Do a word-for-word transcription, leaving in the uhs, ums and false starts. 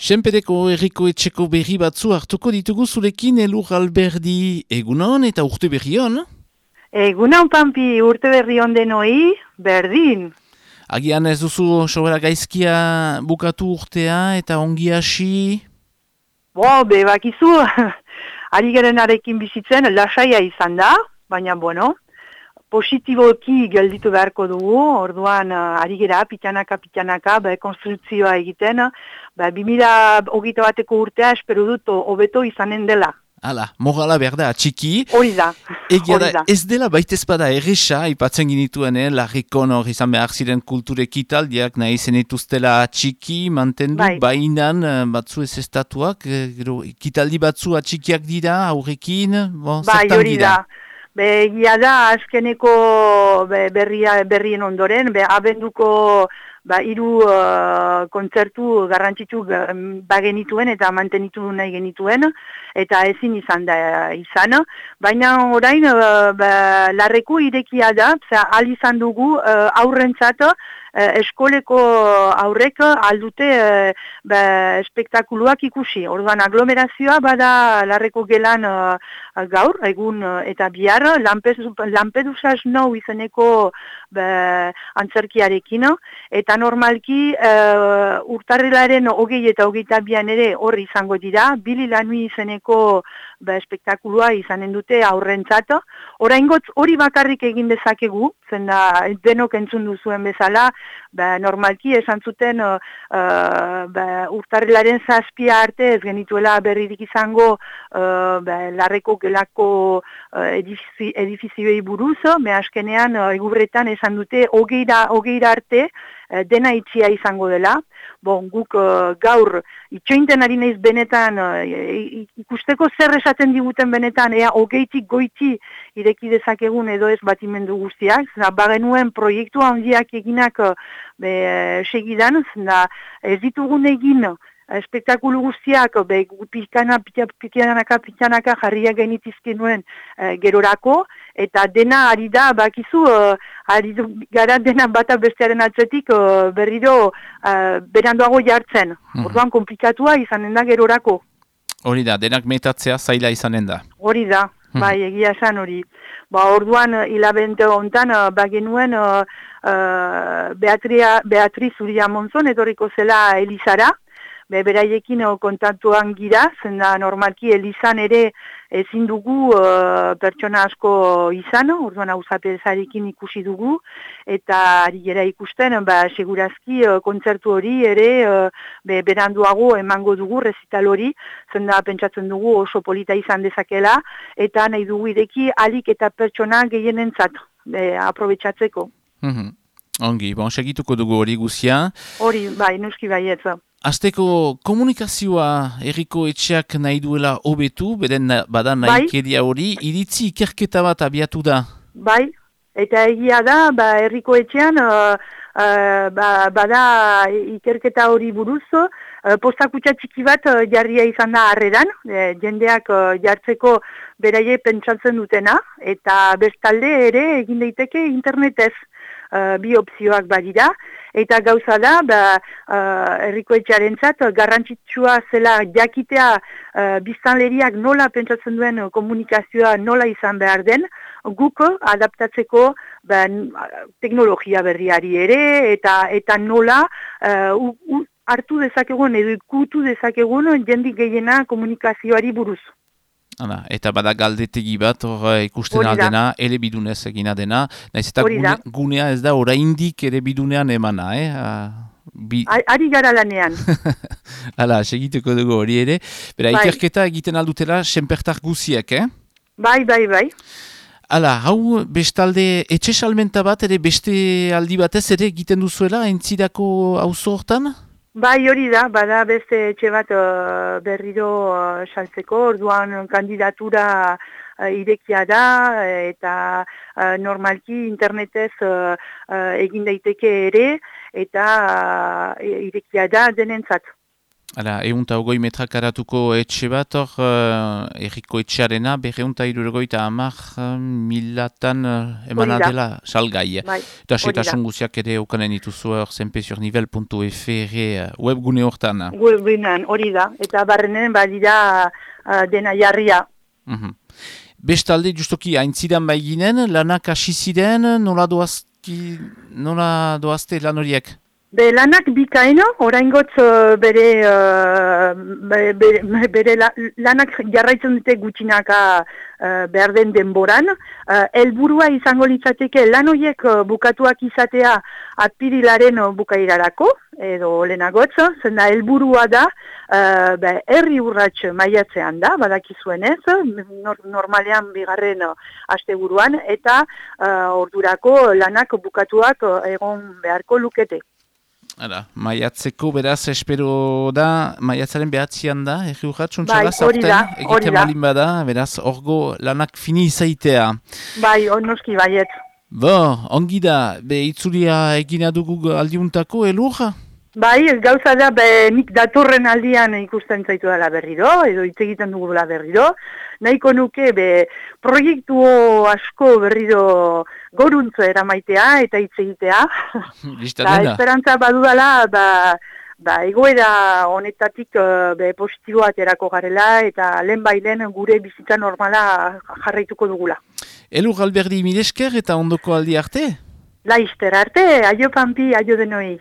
Senpereko herriko etxeko berri batzu hartuko ditugu zurekin Elur Alberdi. Egunon eta urte berri hon? Egunon, Pampi, urte berri hon denoi, berdin. Agian ez duzu sobera gaizkia bukatu urtea eta ongi hasi? Bo, be, bakizu, ari gerenarekin bizitzen lasaia izan da, baina, bueno, positiboki gelditu beharko dugu, orduan uh, ari gera, pitanaka, pitanaka, be, konstrukzioa egiten, be, bi mila hogeita bateko urtea espero dut hobeto izanen dela. Hala, morala behar da, txiki. Hori da. Egia da, ez dela baitezpada erresa, ipatzen ginituen, eh, larrikon hor izan behar ziren kulturek italdiak, nahi zenituztela txiki, mantendu, bai. Bainan batzu ez estatuak, gero, kitaldi batzu atxikiak dira, aurrekin, bon, bai, zertan hori dira? da. Be, egia da, azkeneko be, berria, berrien ondoren, be, abenduko ba, hiru uh, kontzertu garrantzitsu bagenituen eta mantenitu nahi genituen, eta ezin izan da izan. Baina orain, uh, ba, larreku irekia da, al izan dugu uh, aurrentzat, uh, eskoleko aurrek aldute uh, ba, espektakuluak ikusi. Orduan aglomerazioa bada larreko gelan uh, gaur, egun uh, eta bihar, Lampedusa Snow izeneko ba, antzerkiarekin, eta normalki uh, urtarrilaren hogei eta hogeita bian ere horri izango dira, Bili Lanui izeneko ba, espektakulua izanen dute aurrentzat. Oraingoz hori bakarrik egin dezakegu, zenda denok entzun duzuen bezala, ba, normalki esan zuten uh, uh, ba, urtarrilaren zazpia arte ez genituela berririk izango uh, ba, larreko gelako uh, edifizi, edifizioei buruz, me askenean uh, egurretan esan dute hogeira, hogeira arte uh, dena itxia izango dela. Bon, guk uh, gaur itxointen ari naiz benetan uh, ikusteko zer esaten diguten benetan, ea hogeitik goiti ireki dezakegun edo ez batimendu guztiak, zena bagenuen proiektu handiak eginak uh, be, segidan, zena ez ditugun egin espektakulu guztiak, be, pikana, pikanaka, pikanaka jarriak genitizke nuen e, gerorako, eta dena ari da, bakizu, e, ari gara dena bata bestearen atzetik e, berriro e, beranduago jartzen. Hmm. Orduan komplikatua izanen da gerorako. Hori da, denak metatzea zaila izanen da. Hori da, hmm. bai, egia esan hori. Ba, orduan, hilabente hontan, bagenuen uh, uh, Beatria, Beatriz Uria Monzon etorriko zela Elizara, Be, beraiekin kontaktuan gira, zenda normalki Elizan ere ezin dugu uh, pertsona asko izan, orduan auzapezarekin ikusi dugu, eta ari gera ikusten, ba, segurazki uh, kontzertu hori ere uh, be, beranduago emango dugu rezital hori, zenda pentsatzen dugu oso polita izan dezakela, eta nahi dugu ireki alik eta pertsona gehienentzat be, aprobetxatzeko. Mm-hmm. Ongi, bon, segituko dugu hori guzia. Hori, bai, nuski baietza. Azteko komunikazioa herriko etxeak nahi duela hobetu, beden badan nahi bai. keria hori, iritzi ikerketa bat abiatu da. Bai, eta egia da, ba, herriko etxean, uh, uh, ba, bada ikerketa hori buruz, uh, postakutxa txiki bat uh, jarria izan da harreran, e, jendeak uh, jartzeko beraie pentsatzen dutena, eta bestalde ere egin daiteke internetez. Uh, bi opzioak badira, eta gauza da, ba, uh, herriko etxearentzat garrantzitsua zela jakitea uh, biztanleriak nola pentsatzen duen komunikazioa nola izan behar den, guk adaptatzeko ba, teknologia berriari ere, eta eta nola uh, u, u, hartu dezakegun edo ikutu dezakegun jendik gehiena komunikazioari buruz. Hala, eta bada galdetegi bat hor ikusten aldena, ere bidunez egina dena, nahiz eta gune, gunea ez da oraindik ere bidunean emana, eh? Bi... Ari gara lanean. Hala, segituko dugu hori ere. Bera, bai. Ikerketa egiten aldutela senpertar guziek, eh? Bai, bai, bai. Hala, hau bestalde etxe salmenta bat ere beste aldi batez ere egiten duzuela entzidako auzo hortan? Bai, hori da, bada beste etxe bat uh, berriro uh, saltzeko, orduan kandidatura uh, irekia da, eta uh, normalki internetez uh, uh, egin daiteke ere, eta uh, irekia da denentzat. Hala, eunta ogoi metrak aratuko etxe bat, hor, uh, erriko etxearena, berreunta irurgoita amak uh, milatan uh, emanadela salgai. Bai, eta setasun guziak ere okanen dituzu hor zenpeziornivel puntu f r webgune hortan. Webgunean, hori da, eta barrenen badira uh, dena jarria. Mm-hmm. Bestalde, justoki, haintzidan bai ginen, lanak hasi ziren, nola doazki, nola doazte lan horiek? Be lanak bikaino, oraingotz bere, uh, bere, bere la, lanak jarraitzen dute gutxinaka uh, behar den denboran. Uh, elburua izango litzateke lan horiek uh, bukatuak izatea apirilaren uh, bukairarako, edo lehenagotz, zenda elburua da, uh, be, herri urrats maiatzean da, badakizuenez, nor, normalean bigarren uh, asteburuan, eta uh, ordurako lanak bukatuak uh, egon beharko lukete. Hala, maiatzeko beraz espero da, maiatzaren behatzian da, erri urratxun txala, bai, hori da, egiten malin bada, beraz, orgo lanak fini izaitea. Bai, onoski baiet. Bo, ongi da, be itzulia egina dugu aldiuntako, elur? Bai, gauza da, be, nik datorren aldian ikusten zaitu dela berriro, edo hitz egiten dugula berriro. Nahiko nuke, be, proiektu asko berriro goruntzo eramaitea eta hitz egitea. Da, esperantza badudala, ba, ba, egoera honetatik be, positibo aterako garela eta lehen bailen gure bizitza normala jarraituko dugula. Elur Alberdi milesker eta ondoko aldi arte? Laizter arte, aio Pampi, aio denoi.